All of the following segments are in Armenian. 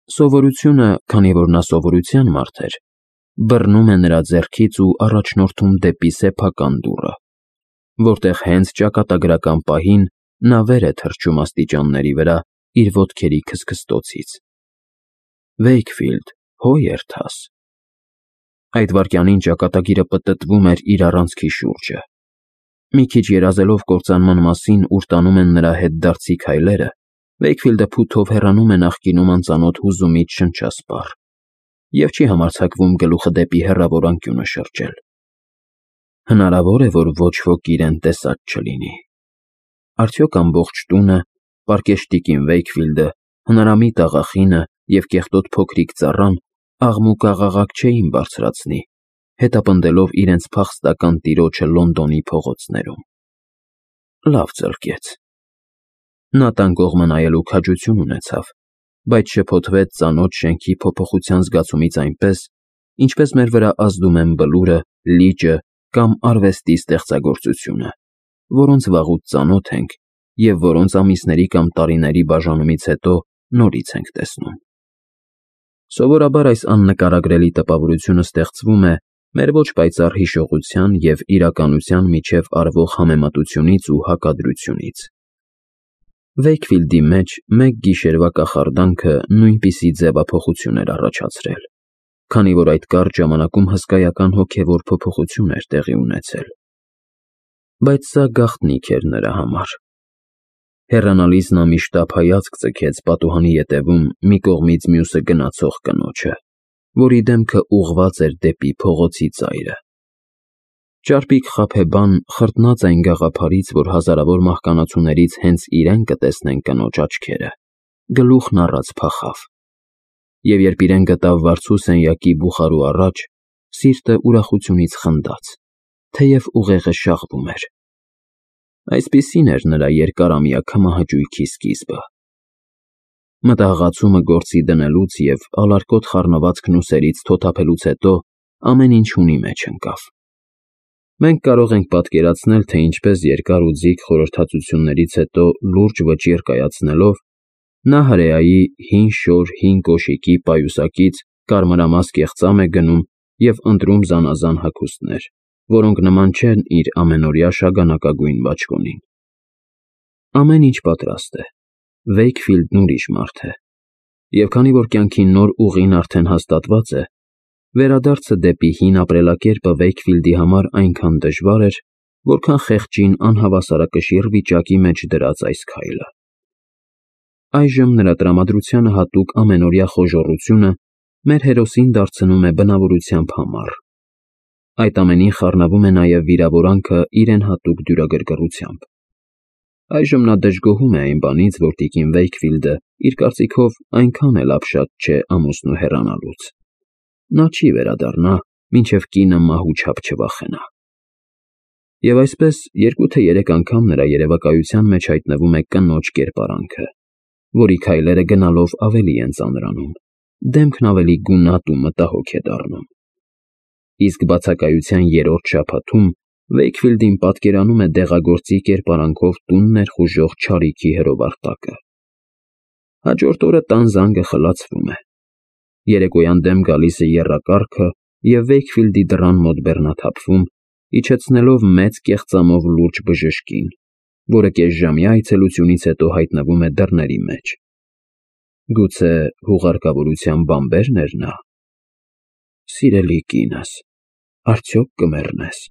Սովորությունը, քանի որ նա սովորության մարդ էր, բռնում է նրա ձեռքից ու առաջնորդում դեպի սեփական դուռը, որտեղ հենց ճակատագրական պահին նա վեր է թռչում աստիճանների վրա իր ոտքերի քստքստոցից։ Վեյքֆիլդ, հո երթաս։ Այդ վայրկյանին ճակատագիրը պտտվում էր իր առանցքի շուրջը։ Մի քիչ երազելով կործանման մասին, ուր տանում են նրա հետդարձի քայլերը, Վեյքֆիլդը փութով հեռանում է նախկինում անծանոթ հուզումից շնչասպառ և չի համարձակվում գլուխը դեպի հեռավոր անկյունը շրջել։ Հնարավոր է, որ ոչ ոք իրեն տեսած չլինի։ Արդյոք ամբողջ տունը, պարկեշտիկին Վեյքֆիլդը, հնարամիտ աղախինը և կեղտոտ փոքրիկ ծառան աղմուկ-աղաղակ չէին բարձրացնի, հետապնդելով իրենց փախստական տիրոջը Լոնդոնի փողոցներում։ Լավ ծլկեց։ Նա տան կողմը նայելու քաջություն ունեցավ, բայց շփոթվեց ծանոթ շենքի փոփոխության զգացումից այնպես, ինչպես մեր վրա ազդում են բլուրը, լիճը կամ արվեստի ստեղծագործությունը, որոնց վաղուց ծանոթ ենք և որոնց ամիսների կամ տարիների բաժանումից հետո նորից ենք տեսնում։ Սովորաբար այս աննկարագրելի տպավորությունը ստեղծվում է մեր ոչ պայծառ հիշողության և իրականության միջև արվող համեմատությունից ու հակադրությունից։ Վեյքֆիլդի մեջ մեկ գիշերվա կախարդանքը նույնպիսի ձևափոխություն էր առաջացրել, քանի որ այդ կարճ ժամանակում հսկայական հոգևոր փոփոխություն էր տեղի ունեցել։ Բայց սա գաղտնիք էր նրա համար։ Հեռանալիս նա մի շտապ հայացք ձգեց պատուհանի ետևում մի կողմից մյուսը գնացող կնոջը, որի դեմքը ուղղված էր դեպի փողոցի ծայրը։ Ճարպիկ խաբեբան, խրտնած այն գաղափարից, որ հազարավոր մահկանացուներից հենց իրեն կտեսնեն կնոջ աչքերը, գլուխն առած փախավ, և երբ իրեն գտավ վարձու սենյակի բուխարու առաջ, սիրտը ուրախությունից խնդաց, թեև ուղեղը շաղվում էր։ Այսպիսին էր նրա երկարամյա քմահաճույքի սկիզբը։ Մտահղացումը գործի դնելուց և ալարկոտ խառնված ուսերից թոթափելուց հետո ամեն ինչ հունի մեջ ընկավ։ Մենք կարող ենք պատկերացնել, թե ինչպես երկար ու ձիգ խորհրդածություններից հետո լուրջ վճիռ կայացնելով, նա հրեայի հին շոր հին կոշիկի պայուսակից կարմրամաս կեղծամ է գնում և ընտրում զանազան հագուստներ, որոնք նման չեն իր ամենօրյա շագանակագույն բաճկոնին։ Ամեն ինչ պատրաստ է, Վեյքֆիլդն ուրիշ մարդ է, և քանի որ կյանքի նոր ուղին արդեն հաստատված է, վերադարձը դեպի հին ապրելակերպը Վեյքֆիլդի համար այնքան դժվար էր, որքան խեղճին անհավասարակշիռ վիճակի մեջ դրած այս քայլը։ Այժմ նրա տրամադրությանը հատուկ ամենօրյա խոժոռությունը մեր հերոսին դարձնում է բնավորությամբ համառ։ Այդ ամենին խառնվում է նաև վիրավորանքը իրեն հատուկ դյուրագրգռությամբ։ Այժմ նա դժգոհում է այն բանից, որ տիկին Վեյքֆիլդը իր կարծիքով այնքան էլ ապշած չէ ամուսնու հեռանալուց։ Նա չի վերադառնա, մինչև կինը մահուչափ չվախենա։ Եվ այսպես 2-3 անգամ նրա երևակայության մեջ հայտնվում է կնոջ կերպարանքը, որի քայլերը գնալով ավելի են ծանրանում, դեմքն ավելի գունատ ու մտահոգ է դառնում։ Իսկ բացակայության երրորդ շաբաթում Վեյքֆիլդին պատկերանում է դեղագործի կերպարանքով տուն ներխուժող չարիքի հրովարտակը։ Հաջորդ օրը տան զանգը խլացվում է։ Երեկոյան դեմ գալիս է եռակառքը և Վեյքֆիլդի դռան մոտ բեռնաթափվում, իջեցնելով մեծ կեղծամով լուրջ բժշկին, որը կեսժամյա այցելությունից հետո հայտնվում է դռների մեջ։ Գուցե հուղարկավորության բանբե՞ռն էր նա։ Սիրելի կինս, արդյոք կմեռնե՞ս։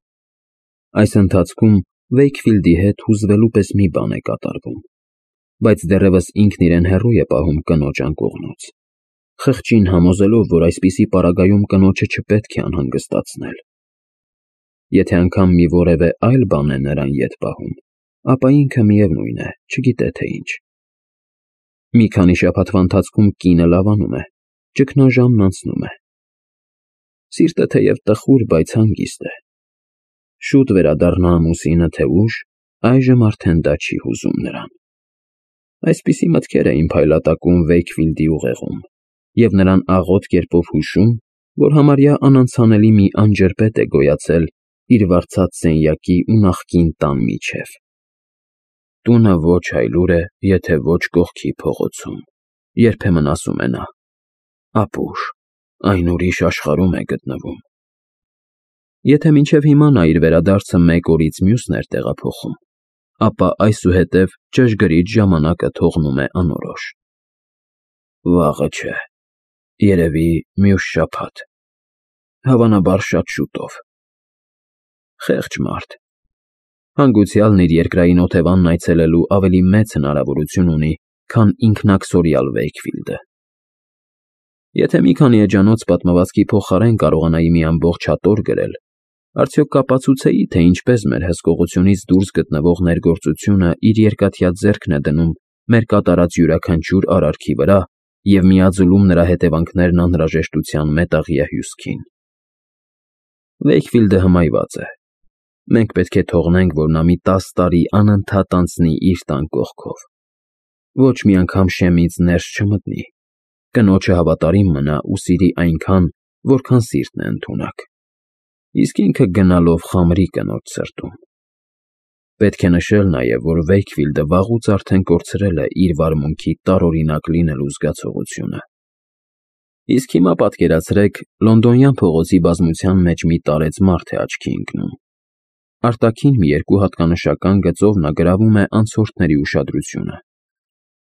Այս ընթացքում Վեյքֆիլդի հետ հուզվելու պես մի բան է կատարվում, բայց դեռևս ինքն իրեն հեռու է պահում կնոջ անկողնուց, խղճին համոզելով, որ այսպիսի պարագայում կնոջը չպետք է անհանգստացնել։ Եթե անգամ մի որևէ այլ բան է նրան ետ պահում, ապա ինքը միևնույն է, չգիտե թե ինչ։ Մի քանի շաբաթվա ընթացքում կինը լավանում է, ճգնաժամն անցնում է։ Սիրտը թեև տխուր, բայց հանգիստ է։ Շուտ վերադառնա ամուսինը, թե ուշ, այժմ արդեն դա չի հուզում նրան։ Այսպիսի մտքեր էին փայլատակում Վեյքֆիլդի ուղեղում, և նրան աղոտ կերպով հուշում, որ համարյա անանցանելի մի անջրպետ է գոյացել իր վարձած սենյակի ու նախկին տան միջև։ Տունը ոչ այլուր է, եթե ոչ կողքի փողոցում, երբեմն ասում է նա, ապուշ, այն ուրիշ աշխարհում է գտնվում։ Եթե մինչև հիմա նա իր վերադարձը մեկ օրից մյուսն էր տեղափոխում, ապա այսուհետև ճշգրիտ ժամանակը թողնում է անորոշ։ Վաղը չէ, երևի մյուս շաբաթ, հավանաբար շատ շուտով։ Խեղճ մարդ, հանգուցյալն իր երկրային օթևանն այցելելու ավելի մեծ հնարավորություն ունի, քան ինքնաքսորյալ Վեյքֆիլդը։ Եթե մի քանի էջանոց պատմվածքի փոխարեն կարողանայի մի ամբողջ հատոր գրել, արդյոք կապացուցեի, թե ինչպես մեր հսկողությունից դուրս գտնվող ներգործությունը իր երկաթյա ձեռքն է դնում մեր կատարած յուրաքանչյուր արարքի վրա և միաձուլում նրա հետևանքներն անհրաժեշտության մետաղյա հյուսքին։ Վեյքֆիլդը հմայված է։ Մենք պետք է թողնենք, որ նա մի 10 տարի անընդհատ անցնի իր տան կողքով։ Ոչ մի անգամ շեմից ներս չմտնի, կնոջը հավատարիմ մնա ու սիրի այնքան, որքան սիրտն է ընդունակ, իսկ ինքը գնալով խամրի կնոջ սրտում։ Պետք է նշել նաև, որ Վեյքֆիլդը վաղուց արդեն կորցրել է իր վարմունքի տարօրինակ լինելու զգացողությունը։ Իսկ հիմա պատկերացրեք, լոնդոնյան փողոցի բազմության մեջ մի տարեց մարդ է աչքի ընկնում։ Արտաքին մի երկու հատկանշական գծով նա գրավում է անցորդների ուշադրությունը։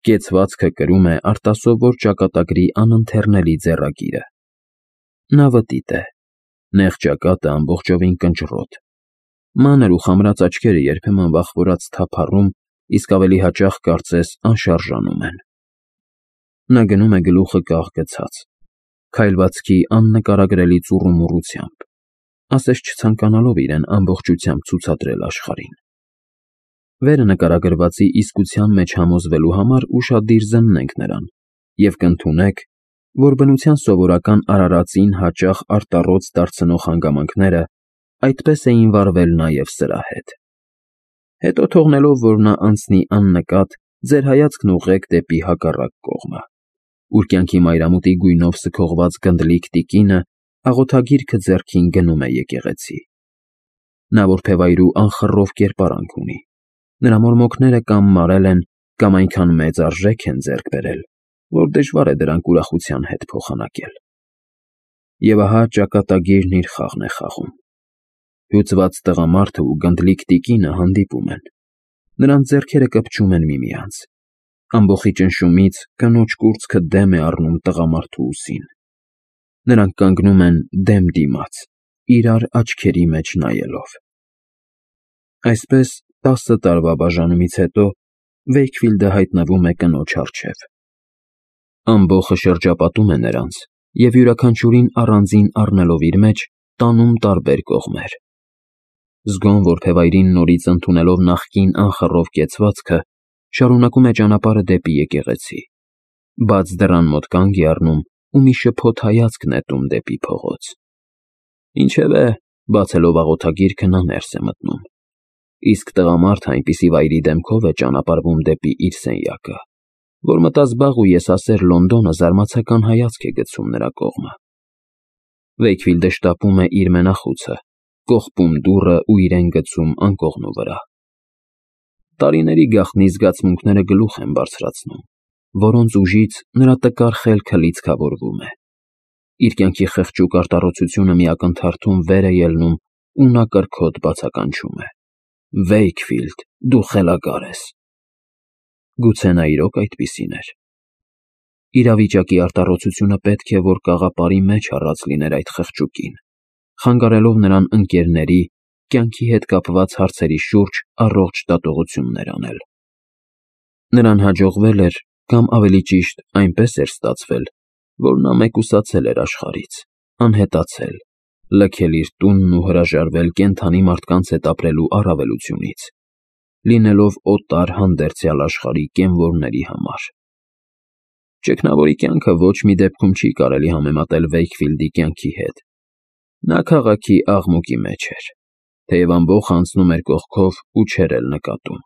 Կեցվածքը կրում է արտասովոր ճակատագրի անընթեռնելի ձեռագիրը։ Նա վտիտ է, նեղ ճակատը ամբողջովին կնճռոտ, մանր ու խամրած աչքերը երբեմն վախվորած թափառում, իսկ ավելի հաճախ կարծես անշարժանում են։ Նա գնում է գլուխը կաղ գցած, քայլվածքի աննկարագրելի ծուռումուռությամբ, ասես չցանկանալով իրեն ամբողջությամբ ցուցադրել աշխարհին։ Վերը նկարագրվածի իսկության մեջ համոզվելու համար ուշադիր զննենք նրան և կընդունեք, որ բնության սովորական արարածին հաճախ արտառոց դարձնող հանգամանքները այդպես էին վարվել նաև սրա հետ։ Հետո թողնելով, որ նա անցնի աննկատ, ձեր հայացքն ուղղեք դեպի հակառակ կողմը, ուր կյանքի մայրամուտի գույնով սքողված գնդլիկ տիկինը աղոթագիրքը ձեռքին գնում է եկեղեցի։ Նա որբևայրու անխռով կերպարանք ունի, նրա մորմոքները կամ մարել են, կամ այնքան մեծ արժեք են ձեռք բերել, որ դժվար է դրանք ուրախության հետ փոխանակել։ Եվ ահա ճակատագիրն իր խաղն է խաղում։ Հյուծված տղամարդը ու գնդլիկ տիկինը հանդիպում են։ Նրանց ձեռքերը կպչում են միմյանց։ Ամբոխի ճնշումից կնոջ կուրծքը դեմ է առնում տղամարդու ուսին։ Նրանք կանգնում են դեմ դիմաց, իրար աչքերի մեջ նայելով։ Այսպես 10 տարվա բաժանումից հետո Վեյքֆիլդը հայտնվում է կնոջ առջև։ Ամբոխը շրջապատում է նրանց և յուրաքանչյուրին առանձին առնելով իր մեջ տանում տարբեր կողմեր։ Զգոն որբևայրին նորից ընդունելով նախկին անխռով կեցվածքը, շարունակում է ճանապարհը դեպի եկեղեցի, բաց դռան մոտ կանգ է առնում ու մի շփոթ հայացք նետում դեպի փողոց։ Ինչևէ, բացելով աղոթագիրքը նա ներս է մտնում, իսկ տղամարդը այնպիսի վայրի դեմքով է ճանապարհվում դեպի իր սենյակը, որ մտազբաղ ու եսասեր Լոնդոնը զարմացական հայացք է գցում նրա կողմը։ Վեյքֆիլդը շտապում է իր մենախուցը, կողպում դուռը ու իրեն գցում անկողնու վրա։ Տարիների գաղտնի զգացմունքները գլուխ են բարձրացնում, որոնց ուժից նրա տկար խելքը լիցքավորվում է։ Իր կյանքի խղճուկ արտառոցությունը մի ակնթարթում վեր է ելնում ու նա կրքոտ բացականչում է. Վեյքֆիլդ, դու խելագար ես։ Գուցե նա իրոք այդպիսին էր։ Իրավիճակի արտառոցությունը պետք է, որ կաղապարի մեջ առած լիներ այդ խղճուկին, խանգարելով նրան ընկերների, կյանքի հետ կապված հարցերի շուրջ առողջ դատողություններ անել։ Նրան հաջողվել էր, կամ ավելի ճիշտ, այնպես էր ստացվել, որ նա մեկուսացել էր աշխարհից, անհետացել, լքել իր տունն ու հրաժարվել կենդանի մարդկանց հետ ապրելու առավելությունից, լինելով օտար հանդերձյալ աշխարհի կենվորների համար։ Ճգնավորի կյանքը ոչ մի դեպքում չի կարելի համեմատել Վեյքֆիլդի կյանքի հետ։ Նա քաղաքի աղմուկի մեջ էր, թեև ամբոխը անցնում էր կողքով ու չէր էլ նկատում։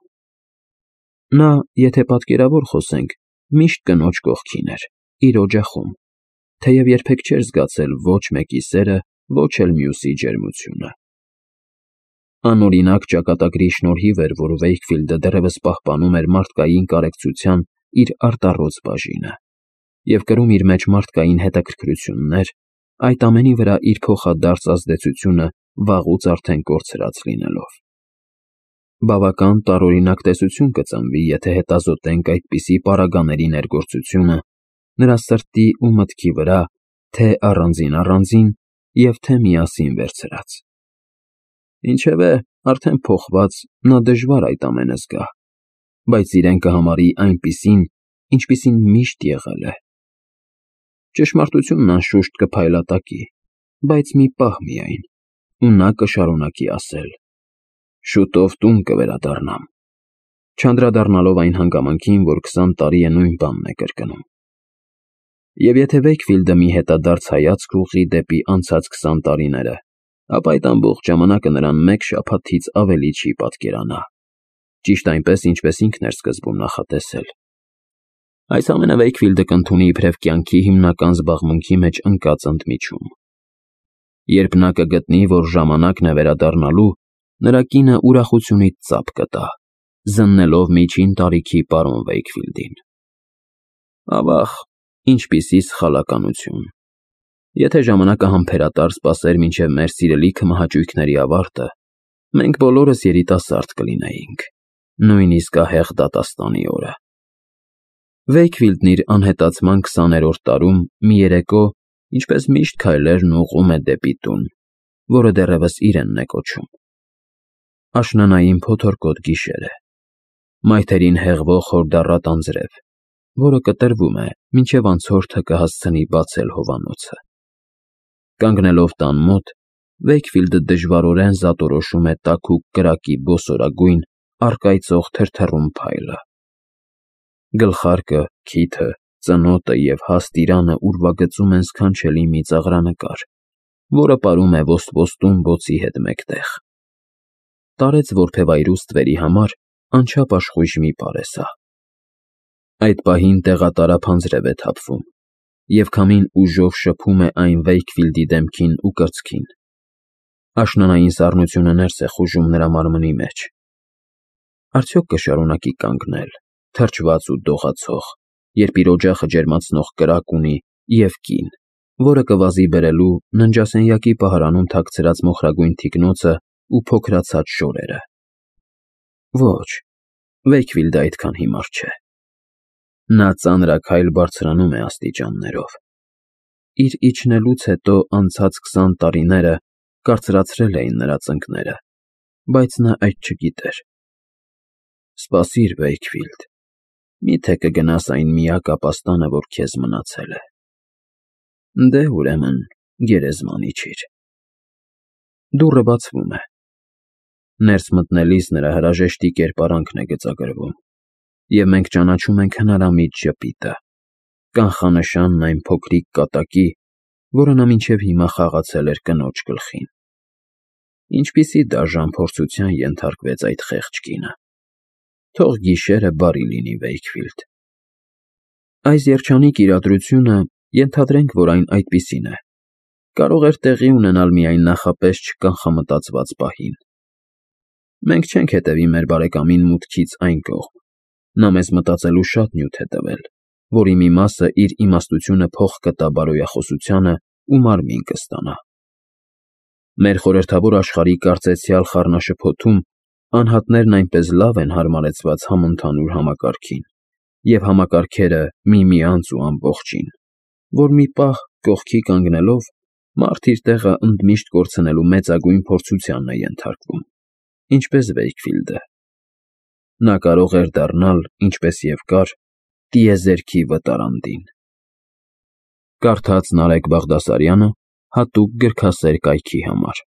Նա, եթե պատկերավոր խոսենք, միշտ կնոջ կողքին էր, իր օջախում, թեև երբեք չէր զգացել ոչ մեկի սերը, ոչ էլ մյուսի ջերմությունը։ Անօրինակ ճակատագրի շնորհիվ էր, որ Վեյքֆիլդը դեռևս պահպանում էր մարդկային կարեկցության իր արտառոց բաժինը։ և կրում իր մեջ մարդկային հետաքրքրություններ, այդ ամենի վրա իր փոխադարձ ազդեցությունը վաղուց արդեն կորցրած լինելով։ Բավական տարօրինակ տեսություն կծնվի, եթե հետազոտենք այդպիսի պարագաների ներգործությունը նրա սրտի ու մտքի վրա, թե առանձին, և թե միասին վերցրած։ Ինչևէ, արդեն փոխված, նա դժվար այդ ամենը զգա, բայց իրեն կհամարի այնպիսին, ինչպիսին միշտ եղել է։ Ճշմարտությունն անշուշտ կփայլատակի, բայց մի պահ միայն, ու նա կշարունակի ասել. «Շուտով տուն կվերադառնամ», չանդրադառնալով այն հանգամանքին, որ 20 տարի է նույն բանն է կրկնում։ Եվ եթե Վեյքֆիլդը մի հետադարձ հայացք ուղղի դեպի անցած 20 տարիները, ապա այդ ամբողջ ժամանակը նրան մեկ շաբաթից ավելի չի պատկերանա, ճիշտ այնպես, ինչպես ինքն էր սկզբում նախատեսել։ Այս ամենը Վեյքֆիլդը կընդունի իբրև կյանքի հիմնական զբաղմունքի մեջ ընկած ընդմիջում։ Երբ նա կգտնի, որ ժամանակն է վերադառնալու, նրա կինը ուրախությունից ծափ կտա, զննելով միջին տարիքի պարոն Վեյքֆիլդին։ Ավաղ, ինչպիսի սխալականություն։ Եթե ժամանակը համբերատար սպասեր մինչև մեր սիրելի քմահաճույքների ավարտը, մենք բոլորս երիտասարդ կլինեինք, նույնիսկ ահեղ դատաստանի օրը։ Վեյքֆիլդն իր անհետացման 20-րդ տարում մի երեկո, ինչպես միշտ քայլերն ուղղում է դեպի տուն, որը դեռևս իրենն է կոչում։ Աշնանային փոթորկոտ գիշեր է։ Մայթերին հեղվող հորդառատ անձրև, որը կտրվում է, մինչև անցորդը կհասցնի բացել հովանոցը։ Կանգնելով տան մոտ, Վեյքֆիլդը դժվարորեն զատորոշում է տաքուկ կրակի բոսորագույն, առկայծող թրթռուն փայլը։ Գլխարկը, քիթը, ծնոտը և հաստ իրանը ուրվագծում են սքանչելի մի ծաղրանկար, որը պարում է ոսպոստուն բոցի հետ մեկտեղ։ Տարեց որբևայրու ստվերի համար անչափ աշխույժ մի բառ է սա։ Այդ պահին տեղատարափ անձրև է թափվում, և քամին ուժով շփում է այն Վեյքֆիլդի դեմքին ու կրծքին։ Աշնանային սառնությունը ներս է խուժում նրա մարմնի մեջ։ Արդյոք կշարունակի կանգնել, թրջված ու դողացող, երբ իր օջախը ջերմացնող կրակ ունի և կին, որը կվազի բերելու ննջասենյակի պահարանում թաքցրած մոխրագույն թիկնոցը ու փոքրացած շորերը։ Ոչ, Վեյքֆիլդը այդքան հիմար չէ։ Նա ծանրաքայլ բարձրանում է աստիճաններով։ Իր իջնելուց հետո անցած 20 տարիները կարծրացրել էին նրա ծնկները, բայց նա այդ չգիտեր։ Սպասիր, Վեյքֆիլդ, միթե կգնաս այն միակ ապաստանը, որ քեզ մնացել է։ Դե, ուրեմն, գերեզման իջիր։ Դուռը բացվում է։ Ներս մտնելիս նրա հրաժեշտի կերպարանքն է գծագրվում, և մենք ճանաչում ենք հնարամիտ ժպիտը, կանխանշանն այն փոքրիկ կատակի, որը նա մինչև հիմա խաղացել էր կնոջ գլխին։ Ինչպիսի դաժան փորձության ենթարկվեց այդ խեղճ կինը։ Թող գիշերը բարի լինի, Վեյքֆիլդ։ Այս երջանիկ իրադրությունը, ենթադրենք, որ այն այդպիսին է, կարող էր տեղի ունենալ միայն նախապես չկանխամտածված պահին։ Մենք չենք հետևի մեր բարեկամին մուտքից այն կողմ։ Նա մեզ մտածելու շատ նյութ է տվել, որի մի մասը իր իմաստությունը փոխ կտա բարոյախոսությանը ու մարմին կստանա։ Մեր խորհրդավոր աշխարհի կարծեցյալ խառնաշփոթում անհատներն այնպես լավ են հարմարեցված համընդհանուր համակարգին և համակարգերը միմյանց ու ամբողջին, որ մի պահ, կողքի կանգնելով, մարդ իր տեղը ընդմիշտ կորցնելու մեծագույն փորձությանն է ենթարկվում, ինչպես Վեյքֆիլդը։ Նա կարող էր դառնալ, ինչպես և կար, տիեզերքի վտարանդին։ Կարդաց Նարեկ Բաղդասարյանը հատուկ գրքասեր կայքի համար։